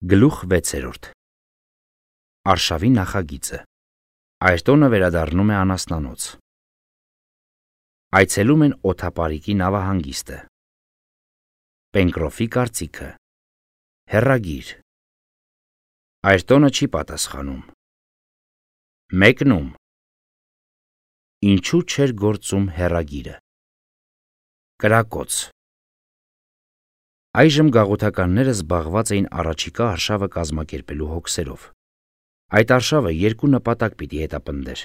Գլուխ 6. Արշավի նախագիծը։ Այս տոնը վերադառնում է անասնանոց։ Այցելում են օդապարիկի նավահանգիստը։ Պենկրոֆի կարծիքը։ Հեռագիր։ Այս տոնը չի պատասխանում։ Մեկնում։ Ինչու չէր գործում հեռագիրը։ Կրակոց։ Այժմ գաղութականները զբաղված էին առաջիկա արշավը կազմակերպելու հոգսերով։ Այդ արշավը երկու նպատակ պիտի հետապնդեր.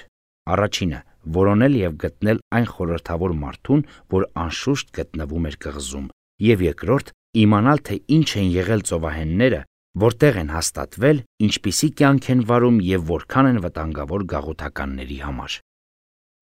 առաջինը՝ որոնել և գտնել այն խորհրդավոր մարդուն, որ անշուշտ գտնվում էր կղզում, և երկրորդ՝ իմանալ, թե ինչ են եղել ծովահենները, որտեղ են հաստատվել, ինչպիսի կյանք են վարում և որքան են վտանգավոր գաղութականների համար։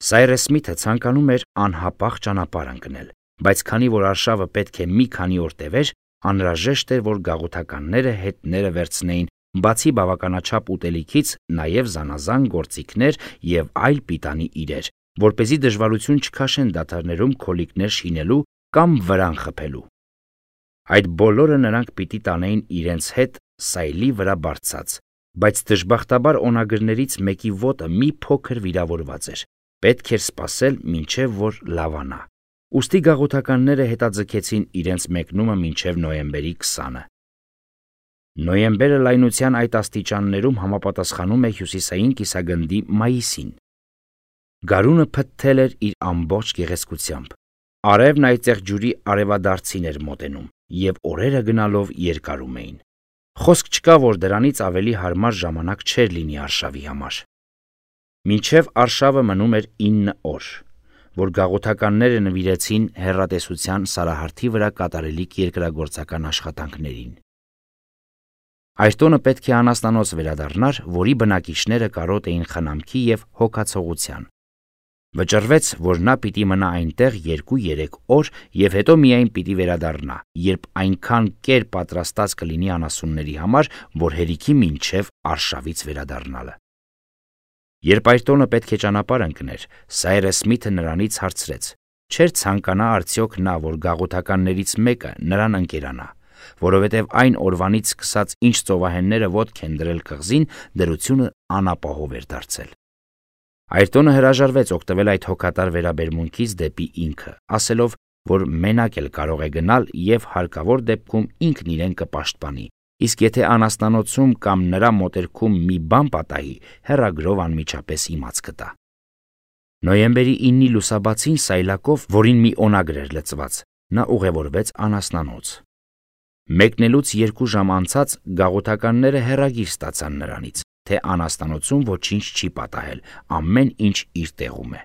Սայրես Սմիթը ցանկանում էր անհապաղ ճանապարհ ընկնել, բայց քանի որ արշավը պետք է մի քանի օր տևեր, անհրաժեշտ էր, որ գաղութականները հետները վերցնեին բացի բավականաչափ ուտելիքից նաև զանազան գործիքներ և այլ պիտանի իրեր, որպեսզի դժվարություն չքաշեն դադարներում քոլիկներ շինելու կամ վրան խփելու։ Այդ բոլորը նրանք պիտի տանեին իրենց հետ սայլի վրա բարձած, բայց դժբախտաբար օնագրներից մեկի ոտը մի փոքր վիրավորված էր, պետք էր սպասել մինչև որ լավանա։ Ուստի գաղութականները հետաձգեցին իրենց մեկնումը մինչև նոյեմբերի 20-ը։ Նոյեմբերը լայնության այդ աստիճաններում համապատասխանում է հյուսիսային կիսագնդի մայիսին։ Գարունը փթթել էր իր ամբողջ գեղեցկությամբ։ Արևն այծեղ ջուրի արևադարձին էր մոտենում, և օրերը գնալով երկարում էին։ Խոսք չկա, որ դրանից ավելի հարմար ժամանակ չէր լինի արշավի համար։ Մինչև արշավը մնում էր 9 օր, որ գաղութականները նվիրեցին հեռատեսության սարահարթի վրա կատարելիք երկրագործական աշխատանքներին։ Այս տոնը պետք է անասնանոց վերադառնար, որի բնակիչները կարոտ էին խնամքի և հոգացողության։ Վճռվեց, որ նա պիտի մնա այնտեղ 2-3 օր և հետո միայն պիտի վերադառնա, երբ այնքան կեր պատրաստած կլինի անասունների համար, որ հերիքի մինչև արշավից վերադառնալը։ Երբ այս տոնը պետք է ճանապարհ ընկներ, Սայրես Սմիթը նրանից հարցրեց. չէր ցանկանա արդյոք նա, որ գաղութականներից մեկը նրան ընկերանա, որովհետև այն օրվանից սկսած, ինչ ծովահենները ոտք են դրել կղզին, դրությունը անապահով էր դարձել։ Այրտոնը հրաժարվեց օգտվել այդ հոգատար վերաբերմունքից դեպի ինքը, ասելով, որ մենակ էլ կարող է գնալ և հարկավոր դեպքում ինքն իրեն կպաշտպանի, իսկ եթե անասնանոցում կամ նրա մոտերքում մի բան պատահի, հեռագրով անմիջապես իմաց կտա։ Նոյեմբերի 9-ի լուսաբացին սայլակով, որին մի օնագր էր լցված, նա ուղևորվեց անասնանոց։ Մեկնելուց 2 ժամ անցած գաղութականները հեռագիր ստացան նրանից, թե անասնանոցում ոչինչ չի պատահել, ամեն ինչ իր տեղում է։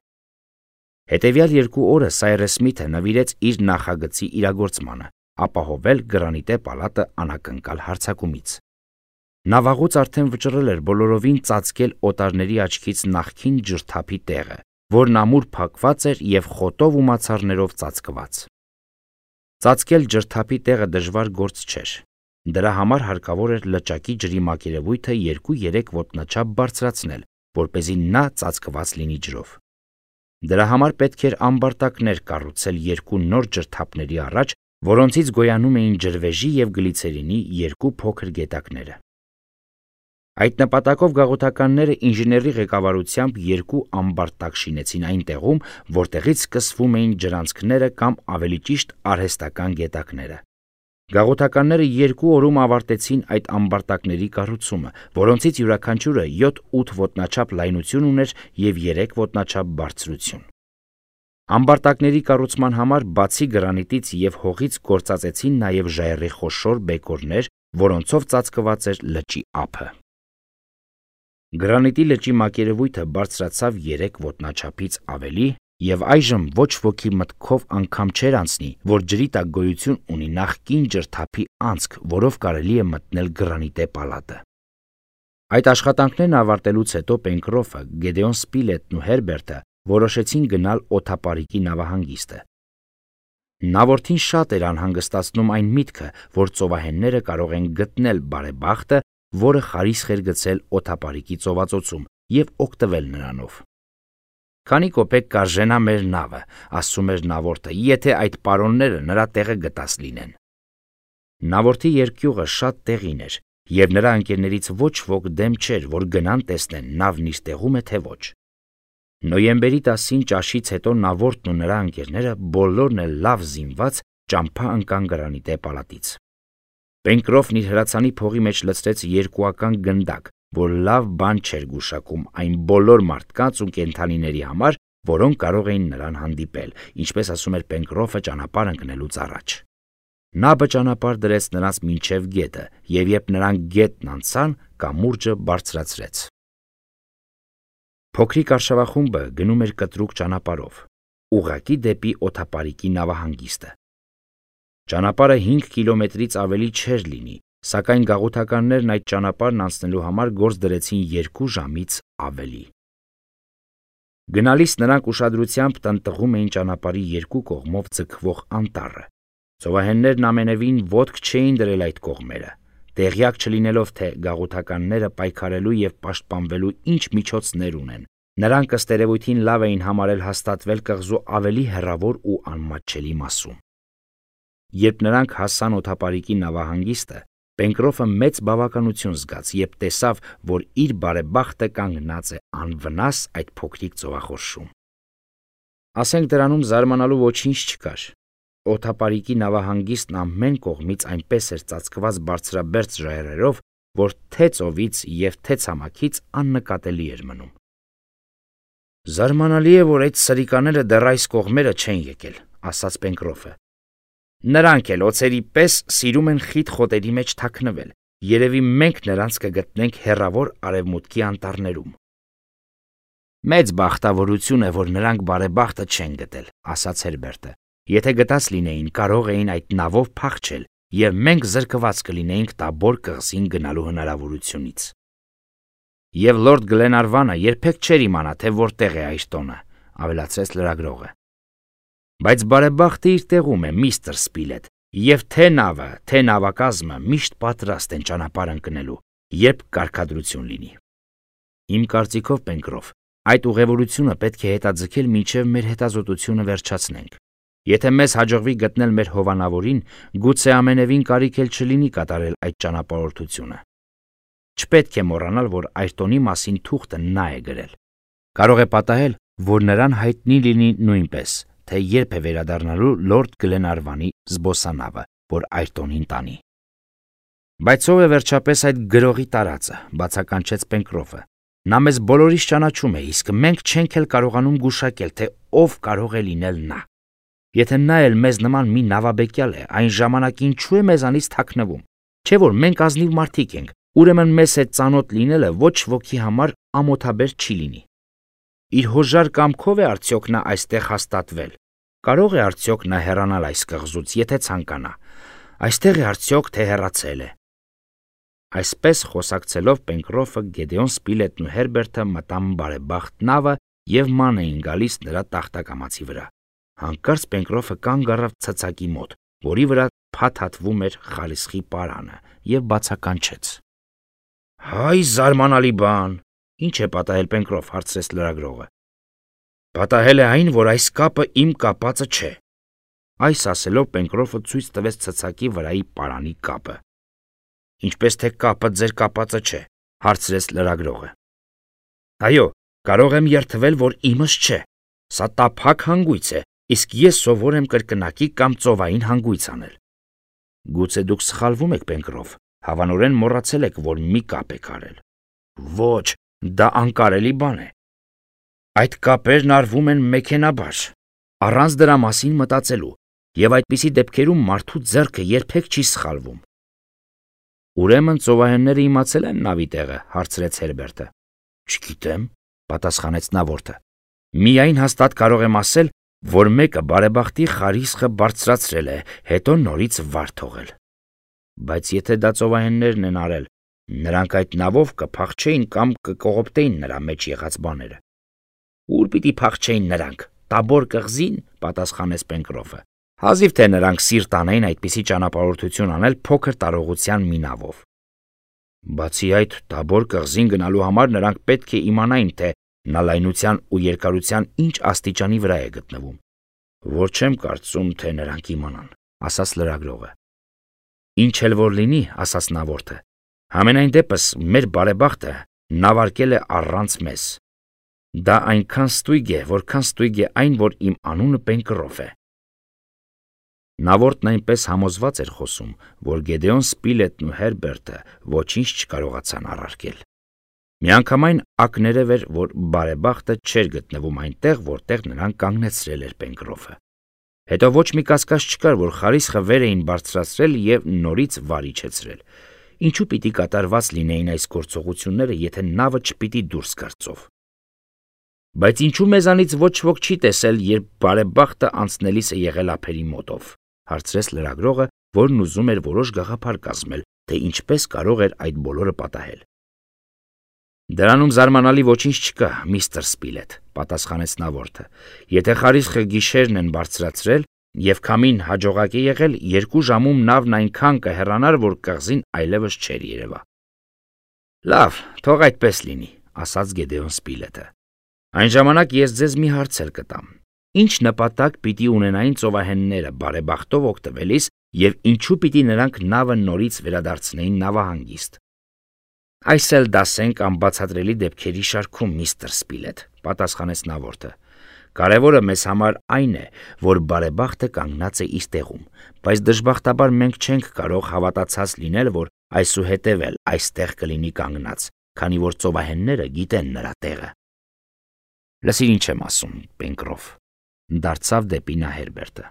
Հետևյալ 2 օրը Սայրես Սմիթը նվիրեց իր նախագծի իրագործմանը, ապահովել Գրանիտե պալատը անակնկալ հարձակումից։ Նա վաղուց արդեն վճռել էր բոլորովին ծածկել օտարների աչքից նախկին ջրթափի տեղը, որն ամուր փակված էր և խոտով ու մացառներով ծածկված։ Ծածկել ջրթափի տեղը դժվար գործ չէր։ Դրա համար հարկավոր էր լճակի ջրի մակերևույթը 2-3 ոտնաչափ բարձրացնել, որպեսզի նա ծածկված լինի ջրով։ Դրա համար պետք էր ամբարտակներ կառուցել 2 նոր ջրթափների առաջ, որոնցից գոյանում էին ջրվեժի և գլիցերինի 2 փոքր գետակները։ Այդ նպատակով գաղութականները ինժեների ղեկավարությամբ 2 ամբարտակ շինեցին այն տեղում, որտեղից սկսվում էին ջրանցքները կամ ավելի ճիշտ արհեստական գետակները։ Գաղութականները 2 օրում ավարտեցին այդ ամբարտակների կառուցումը, որոնցից յուրաքանչյուրը 7-8 ոտնաչափ լայնություն ուներ և 3 ոտնաչափ բարձրություն։ Ամբարտակների կառուցման համար բացի գրանիտից և հողից գործածեցին նաև ժայռի խոշոր բեկորներ, որոնցով ծածկված էր լճի ափը։ Գրանիտի լճի մակերևույթը բարձրացավ 3 ոտնաչափից ավելի, և այժմ ոչ ոքի մտքով անգամ չէր անցնի, որ ջրի տակ գոյություն ունի նախկին ջրթափի անցք, որով կարելի է մտնել Գրանիտե պալատը։ Այդ աշխատանքներն ավարտելուց հետո Պենկրոֆը, Գեդեոն Սպիլետն ու Հերբերտը որոշեցին գնալ օդապարիկի նավահանգիստը։ Նավորդին շատ էր անհանգստացնում այն միտքը, որ ծովահենները կարող են գտնել բարեբախտը, որը խարիսխ էր գցել օդապարիկի ծովածոցում, և օգտվել նրանով։ Քանի կոպեկ կարժենա մեր նավը, ասում էր նավորդը, եթե այդ պարոնները նրա տեղը գտած լինեն։ Նավորդի երկյուղը շատ տեղին էր, եւ նրա ընկերներից ոչ ոք դեմ չէր, որ գնան տեսնեն նավն իր տեղում է թե ոչ։ Նոյեմբերի 10-ին ճաշից հետո Նավորդն ու նրա ընկերները բոլորն էլ լավ զինված ճամփա ընկան գրանիտե պալատից։ Պենկրոֆն իր հրացանի փողի մեջ լցրեց 2-ական գնդակ, որ լավ բան չէր գուշակում այն բոլոր մարդկանց ու կենդանիների համար, որոնք կարող էին նրան հանդիպել, ինչպես ասում էր Պենկրոֆը ճանապարհ ընկնելուց առաջ։ Նա ճանապարհ դրեց նրանց մինչև գետը, եւ երբ նրանք գետն անցան, կամուրջը բարձրացրեց։ Փոքրիկ արշավախումբը գնում էր կտրուկ ճանապարհով, ուղղակի դեպի օդապարիկի նավահանգիստը։ Ճանապարհը 5 կիլոմետրից ավելի չէր լինի, սակայն գաղութականներն այդ ճանապարհն անցնելու համար գործ դրեցին 2 ժամից ավելի։ Գնալիս նրանք ուշադրությամբ տնտղում էին ճանապարհի երկու կողմով ձգվող անտառը։ Ծովահեններն ամենևին ոտք չէին դրել այդ կողմերը, տեղյակ չլինելով, թե գաղութականները պայքարելու եւ պաշտպանվելու ինչ միջոցներ ունեն։ Նրանք ըստ երևույթին լավ էին համարել հաստատվել կղզու ավելի հեռավոր ու անմատչելի մասում։ Երբ նրանք հասան օդապարիկի նավահանգիստը, Պենկրոֆը մեծ բավականություն զգաց, երբ տեսավ, որ իր բարեբախտը կանգնած է անվնաս այդ փոքրիկ ծովախորշում։ Ասենք դրանում զարմանալու ոչինչ չկար։ Օդապարիկի նավահանգիստն ամեն կողմից այնպես էր ծածկված բարձրաբերձ ժայռերով, որ թե ծովից եւ թե ցամաքից աննկատելի էր մնում։ Զարմանալի է, որ այդ սրիկաները դեռ այս կողմերը չեն եկել, ասաց Պենկրոֆը։ Նրանք էլ օձերի պես սիրում են խիտ խոտերի մեջ թաքնվել։ Երևի մենք նրանց կգտնենք հեռավոր արևմուտքի անտառներում։ Մեծ բախտավորություն է, որ նրանք բարեբախտը չեն գտել, ասաց Հերբերտը։ Եթե գտած լինեին, կարող էին այդ նավով փախչել, եւ մենք զրկված կլինեինք Տաբոր կղզին գնալու հնարավորությունից։ Եվ լորդ Գլենարվանը երբեք չէր իմանա, թե որտեղ է այս տոնը, ավելացրեց լրագրողը։ Բայց բարեբախտը իր տեղում է, միստր Սպիլետ, եւ թե նավը, թե նավակազմը միշտ պատրաստ են ճանապարհ ընկնելու, երբ կարգադրություն լինի։ Իմ կարծիքով, Պենկրոֆ, այդ ուղևորությունը պետք է հետաձգել մինչև մեր հետազոտությունը վերջացնենք։ Եթե մեզ հաջողվի գտնել մեր հովանավորին, գուցե ամենևին կարիք էլ չլինի կատարել այդ ճանապարհորդությունը։ Չպետք է մոռանալ, որ Այրտոնի մասին թուղթը նա է գրել։ Կարող է պատահել, որ նրան հայտնի լինի նույնպես, թե երբ է վերադառնալու լորդ Գլենարվանի զբոսանավը, որ Այրտոնին տանի։ Բայց ով է վերջապես այդ գրողի տարածը, բացականչեց Պենկրոֆը։ Նա մեզ բոլորիս ճանաչում է, իսկ մենք չենք էլ կարողանում գուշակել, թե ով կարող է լինել նա։ Եթե նա էլ մեզ նման մի նավաբեկյալ է, այն ժամանակ ինչու է մեզանից թաքնվում։ Չէ՞ որ մենք ազնիվ մարդիկ ենք, ուրեմն մեզ հետ ծանոթ լինելը ոչ ոքի համար ամոթաբեր չի լինի։ Իր հոժար կամքով է արդյոք նա այստեղ հաստատվել։ Կարող է արդյոք նա հեռանալ այս կղզուց, եթե ցանկանա։ Այստեղ է արդյոք թե հեռացել է։ Այսպես խոսակցելով Պենկրոֆը, Գեդեոն Սպիլետն ու Հերբերտը մտան բարեբախտ նավը եւ ման էին գալիս նրա տախտակամացի վրա։ Հանկարծ Պենկրոֆը կանգ առավ ցցակի մոտ, որի վրա փաթաթվում էր խարիսխի պարանը, եւ բացականչեց։ Հայ զարմանալի բան։ Ինչ է պատահել, Պենկրոֆ, հարցրեց լրագրողը։ Պատահել է այն, որ այս կապը իմ կապածը չէ։ Այս ասելով Պենկրոֆը ցույց տվեց ցցակի վրայի պարանի կապը։ Ինչպես թե կապը ձեր կապածը չէ, հարցրեց լրագրողը։ Այո, կարող եմ երդվել, որ իմս չէ։ Սա տափակ հանգույց է, իսկ ես սովոր եմ կրկնակի կամ ծովային հանգույց անել։ Գուցե դուք սխալվում եք, Պենկրոֆ, հավանորեն մոռացել եք, որ մի կապ եք արել։ Ոչ, դա անկարելի բան է։ Այդ կապերն արվում են մեքենաբար, առանց դրա մասին մտածելու, եւ այդպիսի դեպքերում մարդու ձեռքը երբեք չի սխալվում։ Ուրեմն ծովահենները իմացել են նավի տեղը, հարցրեց Հերբերտը։ Չգիտեմ, պատասխանեց Նավորդը։ Միայն հաստատ կարող եմ ասել, որ մեկը բարեբախտի խարիսխը բարձրացրել է, հետո նորից վար թողել։ Բայց եթե դա ծովահեններն են արել, նրանք այդ նավով կփախչեին կամ կկողոպտեին նրա մեջ եղած բաները։ Ուր պիտի փախչեին նրանք, Տաբոր կղզին, պատասխանեց Պենկրոֆը։ Հազիվ թե նրանք սիրտ անեին այդպիսի ճանապարհորդություն անել փոքր տարողության մի նավով։ Բացի այդ, Տաբոր կղզին գնալու համար նրանք պետք է իմանային, թե նա լայնության ու երկարության ինչ աստիճանի վրա է գտնվում։ Որ չեմ կարծում, թե նրանք իմանան, ասաց լրագրողը։ Ինչ էլ որ լինի, ասաց Նավորդը, Համենայն դեպս մեր բարեբախտը նավարկել է առանց մեզ։ Դա այնքան ստույգ է, որքան ստույգ է այն, որ իմ անունը Պենկրոֆ է։ Նավորդն այնպես համոզված էր խոսում, որ Գեդեոն Սպիլետն ու Հերբերտը ոչինչ չկարողացան առարկել։ Միանգամայն ակներև էր, որ բարեբախտը չէր գտնվում այնտեղ, որտեղ նրան կանգնեցրել էր Պենկրոֆը։ Հետո ոչ մի կասկած չկար, որ խարիսխը վեր էին բարձրացրել և նորից վար իջեցրել։ Ինչու պիտի կատարված լինեին այս գործողությունները, եթե նավը չպիտի դուրս գար ծով։ Բայց ինչու մեզանից ոչ ոք չի տեսել, երբ բարեբախտը անցնելիս է եղել ափերի մոտով, հարցրեց լրագրողը, որն ուզում էր որոշ գաղափար կազմել, թե ինչպես կարող էր այդ բոլորը պատահել։ Դրանում զարմանալի ոչինչ չկա, միստր Սպիլետ, պատասխանեց նավորդը։ Եթե խարիսխը գիշերն են բարձրացրել և քամին հաջողակ է եղել, 2 ժամում նավն այնքան կհեռանար, որ կղզին այլևս չէր երևա։ Լավ, թող այդպես լինի, ասաց Գեդեոն Սպիլետը։ Այն ժամանակ ես ձեզ մի հարց էլ կտամ. ինչ նպատակ պիտի ունենային ծովահենները բարեբախտով օգտվելիս և ինչու պիտի նրանք նավը նորից վերադարձնեին նավահանգիստ։ Այս էլ դասենք անբացատրելի դեպքերի շարքում, միստր Սպիլետ, պատասխանեց նավորդը։ Կարևորը մեզ համար այն է, որ բարեբախտը կանգնած է իր տեղում, բայց դժբախտաբար մենք չենք կարող հավատացած լինել, որ այսուհետև էլ այստեղ կլինի կանգնած, քանի որ ծովահենները գիտեն նրա տեղը։ Լսիր ինչ եմ ասում, Պենկրոֆ, դարձավ դեպի նա Հերբերտը։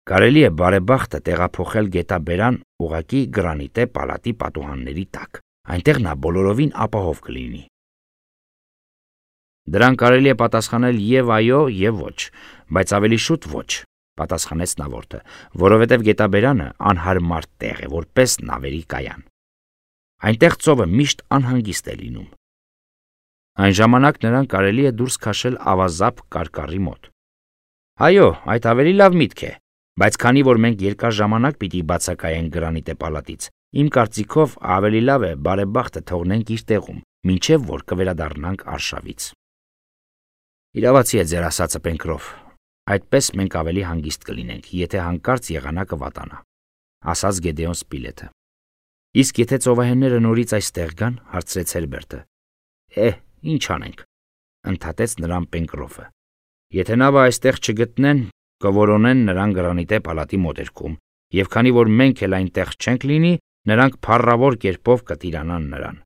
Կարելի է բարեբախտը տեղափոխել գետաբերան ուղղակի գրանիտե պալատի պատուհանների տակ, այնտեղ նա բոլորովին ապահով կլինի։ Դրան կարելի է պատասխանել և այո, և ոչ, բայց ավելի շուտ ոչ, պատասխանեց նավորդը, որովհետև գետաբերանը անհարմար տեղ է, որպես նավերի կայան։ Այնտեղ ծովը միշտ անհանգիստ է լինում։ Այն ժամանակ նրան կարելի է դուրս քաշել ավազապ կարկառի մոտ։ Այո, այդ ավելի լավ միտք է, բայց քանի որ մենք երկար ժամանակ պիտի բացակայենք գրանիտե պալատից, իմ կարծիքով ավելի լավ է բարեբախտը թողնենք իր տեղում, մինչև որ կվերադառնանք արշավից։ Իրավացի է ձեր ասածը, Պենկրոֆ, այդպես մենք ավելի հանգիստ կլինենք, եթե հանկարծ եղանակը վատանա, ասաց Գեդեոն Սպիլետը։ Իսկ եթե ծովահենները նորից այստեղ գան, հարցրեց Հերբերտը։ Ինչ անենք, ընդհատեց նրան Պենկրոֆը։ Եթե նավը այստեղ չգտնեն, կորոնեն նրան գրանիտե պալատի մոտերքում, և քանի որ մենք էլ այնտեղ չենք լինի, նրանք փառավոր կերպով կտիրանան նրան։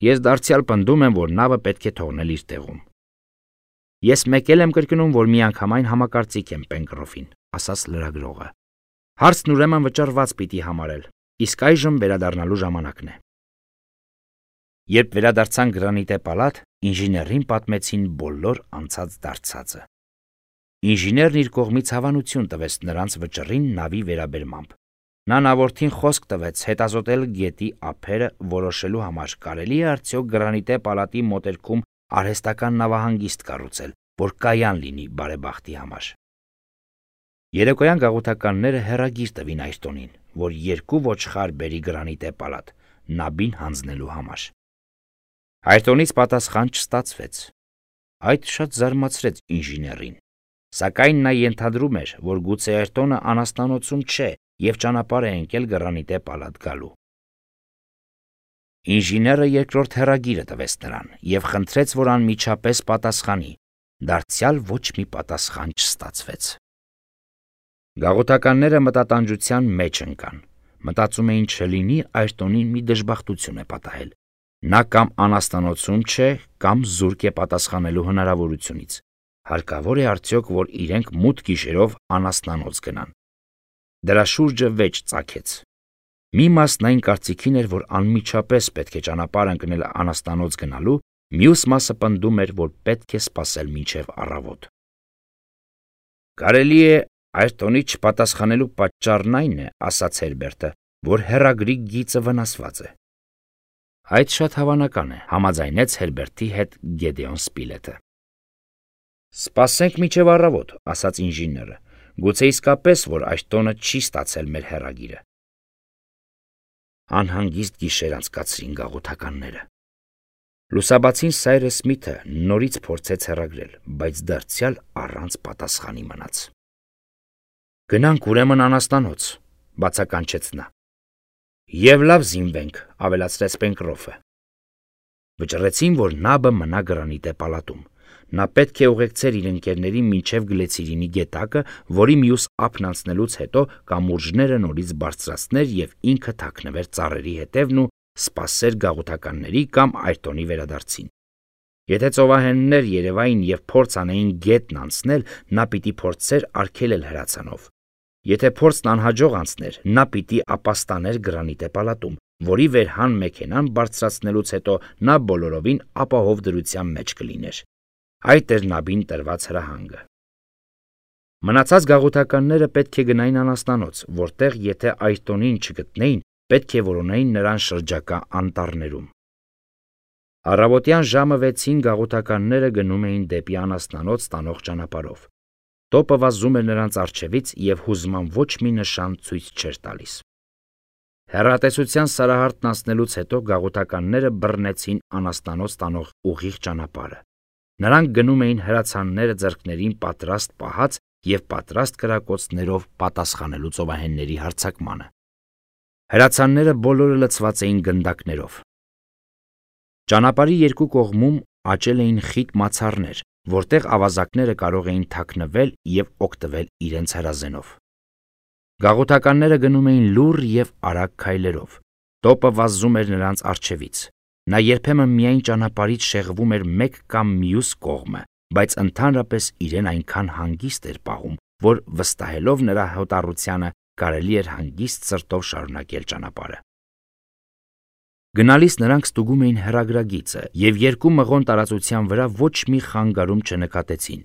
Ես դարձյալ պնդում եմ, որ նավը պետք է թողնել իր տեղում։ Ես մեկ էլ եմ կրկնում, որ միանգամայն համակարծիք եմ Պենկրոֆին, ասաց լրագրողը։ Հարցն ուրեմն վճարված պիտի համարել, իսկ այժմ վերադառնալու ժամանակն է։ Երբ վերադարձան գրանիտե պալատ, ինժեներին պատմեցին բոլոր անցած դարձածը։ Ինժեներն իր կողմից հավանություն տվեց նրանց վճռին նավի վերաբերմամբ։ Նա նավորդին խոսք տվեց հետազոտել գետի ափերը, որոշելու համար կարելի է արդյոք գրանիտե պալատի մոտերքում արհեստական նավահանգիստ կառուցել, որ կայան լինի բարեբախտի համար։ Երեկոյան գաղութականները հեռագիր տվին Այրտոնին, որ 2 ոչխար բերի գրանիտե պալատ, նաբին հանձնելու համար։ Այրտոնից պատասխան չստացվեց։ Այդ շատ զարմացրեց ինժեներին, սակայն նա ենթադրում էր, որ գուցե Այրտոնը անաստանոցում չէ և ճանապարհ է ընկել գրանիտե պալատ գալու։ Ինժեները երկրորդ հեռագիրը տվեց նրան և խնդրեց, որ անմիջապես պատասխանի, դարձյալ ոչ մի պատասխան չստացվեց։ Գաղութականները մտատանջության մեջ ընկան, մտածում էին չլինի Այրտոնին մի դժբախտություն է պատահել։ Նա կամ անաստանոցում չէ, կամ զուրկ է պատասխանելու հնարավորությունից։ Հարկավոր է արդյոք, որ իրենք մութ գիշերով անաստանոց գնան։ Դրա շուրջը վեճ ծագեց։ Մի մասն այն կարծիքին էր, որ անմիջապես պետք է ճանապարհ ընկնել անաստանոց գնալու, մյուս մասը պնդում էր, որ պետք է սպասել մինչև առավոտ։ Կարելի է Այրտոնի չպատասխանելու պատճառն այն է, ասաց Հերբերտը, որ հեռագրի գիծը վնասված է։ Այդ շատ հավանական է, համաձայնեց Հերբերտի հետ Գեդեոն Սպիլետը։ Սպասենք մինչև առավոտ, ասաց ինժեները, գուցե իսկապես, որ Այրտոնը չի ստացել մեր հեռագիրը։ Անհանգիստ գիշեր անցկացրին գաղութականները։ Լուսաբացին Սայրես Սմիթը նորից փորձեց հեռագրել, բայց դարձյալ առանց պատասխանի մնաց։ Գնանք ուրեմն անաստանոց, բացականչեց նա։ Եվ լավ զինվենք, ավելացրեց Պենկրոֆը։ Վճռեցին, որ նաբը մնա գրանիտե պալատում։ Նա պետք է ուղեկցեր իր ընկերներին մինչև գլեցիրինի գետակը, որի մյուս ափն անցնելուց հետո կամուրջները նորից բարձրացներ եւ ինքը թաքնվեր ծառերի հետևն ու սպասեր գաղութականների կամ Այրտոնի վերադարձին։ Եթե ծովահեններ երևային եւ փորձ անեին գետն անցնել, նա պիտի փորձեր արգելել հրացանով։ Եթե փորձն անհաջող անցներ, նա պիտի ապաստաներ գրանիտե պալատում, որի վերհան մեքենան բարձրացնելուց հետո նա բոլորովին ապահով դրության մեջ կլիներ։ Այդ էր նաբին տրված հրահանգը։ Մնացած գաղութականները պետք է գնային անաստանոց, որտեղ եթե Այրտոնին չգտնեին, պետք է որոնեին նրան շրջակա անտառներում։ Առավոտյան ժամը 6-ին գաղութականները գնում էին դեպի անաստանոց տանող ճանապարհով։ Տոպը վազում էր նրանց առջևից եւ հուզման ոչ մի նշան ցույց չէր տալիս։ Հեռատեսության սարահարթն անցնելուց հետո գաղութականները բռնեցին անաստանոց տանող ուղիղ ճանապարհը։ Նրանք գնում էին հրացանները ձեռքներին պատրաստ պահած եւ պատրաստ կրակոցներով պատասխանելու ծովահենների հարձակմանը։ Հրացանները բոլորը լցված էին գնդակներով։ Ճանապարհի երկու կողմում աճել էին խիտ մացառներ, որտեղ ավազակները կարող էին թաքնվել եւ օգտվել իրենց հրազենով։ Գաղութականները գնում էին լուռ եւ արագ քայլերով։ Տոպը վազում էր նրանց առջևից։ Նա երբեմն միայն ճանապարհից շեղվում էր մեկ կամ մյուս կողմը, բայց ընդհանրապես իրեն այնքան հանգիստ էր պահում, որ վստահելով նրա հոտառությանը կարելի էր հանգիստ սրտով շարունակել ճանապարհը։ Գնալիս նրանք ստուգում էին հեռագրագիծը եւ երկու մղոն տարածության վրա ոչ մի խանգարում չնկատեցին։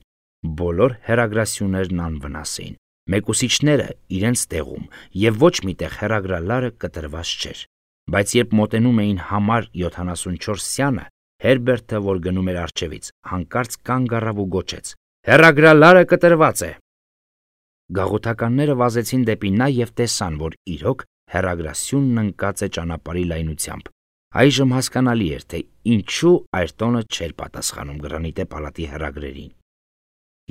Բոլոր հեռագրասյուներն անվնաս էին, մեկուսիչները իրենց տեղում եւ ոչ միտեղ հեռագրալարը կտրված չէր։ Բայց երբ մոտենում էին համար 74 սյանը, Հերբերտը, որ գնում էր առջևից, հանկարծ կանգ առավ ու գոչեց. «Հեռագրալարը կտրված է»։ Գաղութականները վազեցին դեպի նա եւ տեսան, որ իրոք հեռագրասյունն ընկած է ճանապարհի լայնությամբ։ Այժմ հասկանալի էր, թե ինչու Այրտոնը չէր պատասխանում գրանիտե պալատի հեռագրերին։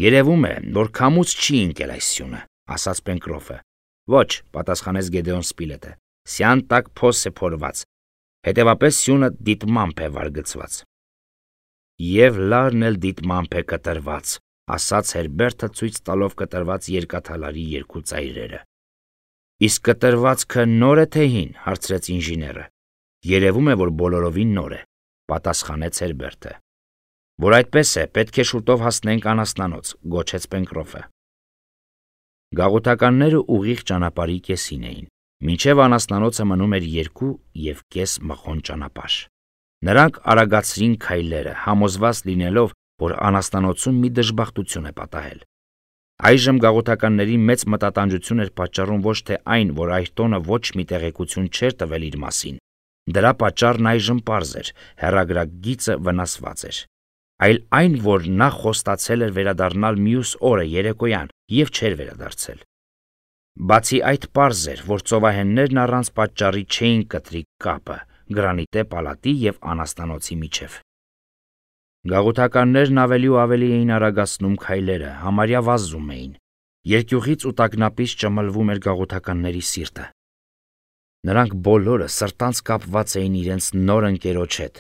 «Երևում է, որ քամուց չի ընկել այս սյունը», ասաց Պենկրոֆը։ «Ոչ», պատասխանեց Գեդեոն Սպիլետը, «սյան տակ փոս է փորված, հետևապես սյունը դիտմամբ է վարգծված»։ «Եվ լարն էլ դիտմամբ է կտրված», ասաց Հերբերտը ցույց տալով կտրված երկաթալարի երկու ծայրերը։ «Իսկ կտրվածքը նոր է թե հին», հարցրեց ինժեները։ «Երևում է, որ բոլորովին նոր է», պատասխանեց Հերբերտը։ «Որ այդպես է, պետք է շուտով հասնենք անաստանոց», գոչեց Պենկրոֆը։ Գաղութականները ուղիղ ճանապարհի կեսին էին։ Մինչև անաստանոցը մնում էր 2,5 մղոն ճանապարհ։ Նրանք արագացրին քայլերը, համոզված լինելով, որ անաստանոցում մի դժբախտություն է պատահել։ Այժմ գաղութականների մեծ մտատանջություն էր պատճառում ոչ թե այն, որ Այրտոնը ոչ մի տեղեկություն չէր տվել իր մասին, դրա պատճառն այժմ պարզ էր, հեռագրագիծը վնասված էր, այլ այն, որ նա խոստացել էր վերադառնալ մյուս օրը երեկոյան եւ չէր վերադարձել։ Բացի այդ պարզ էր, որ ծովահեններն առանց պատճառի չէին կտրի կապը գրանիտե պալատի եւ անաստանոցի միջև։ Գաղութականներն ավելի ու ավելի էին արագացնում քայլերը, համարյա վազում էին։ Երկյուղից ու տագնապից ճմլվում էր գաղութականների սիրտը։ Նրանք բոլորը սրտանց կապված էին իրենց նոր ընկերոջ հետ։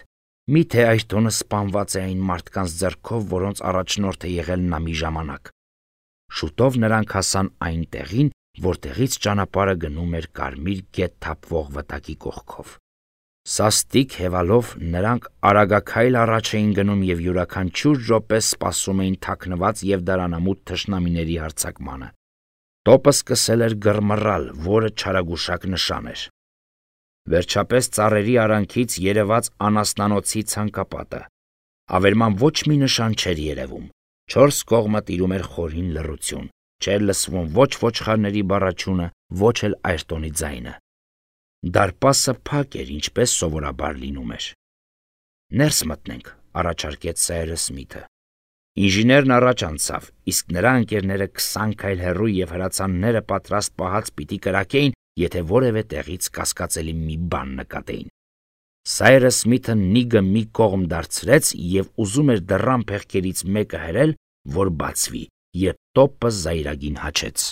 Միթե Այրտոնը սպանված է այն մարդկանց ձեռքով, որոնց առաջնորդ է եղել նա մի ժամանակ։ Շուտով նրանք հասան այն տեղին, որտեղից ճանապարհը գնում էր Կարմիր գետ թափվող վտակի կողքով։ Սաստիկ հևալով նրանք արագաքայլ առաջ էին գնում եւ յուրաքանչյուր րոպե սպասում էին թաքնված եւ դարանամուտ թշնամիների հարձակմանը։ Տոպը սկսել էր գրմռալ, որը չարագուշակ նշան էր։ Վերջապես ծառերի արանքից երևաց անաստանոցի ցանկապատը։ Ավերման ոչ մի նշան չէր երևում։ 4 կողմը տիրում էր խորին լռություն։ Չէր լսվում ոչ ոչխարների բառաչյունը, ոչ էլ Այրտոնի ձայնը։ Դարպասը փակ էր, ինչպես սովորաբար լինում էր։ «Ներս մտնենք», առաջարկեց Սայրս Սմիթը։ Ինժեներն առաջ անցավ, իսկ նրա ընկերները 20 քայլ հեռու եւ հրացանները պատրաստ պահած պիտի կրակեին, եթե որևէ տեղից կասկածելի մի բան նկատեին։ Սայրս Սմիթը նիգը մի կողմ դարձրեց եւ ուզում էր դռան փեղկերից մեկը հրել, որ բացվի, երբ տոպը զայրագին հաչեց։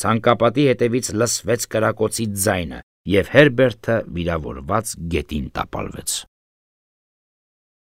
Ցանկապատի հետևից լսվեց կրակոցի ձայնը, եւ Հերբերտը վիրավորված գետին տապալվեց։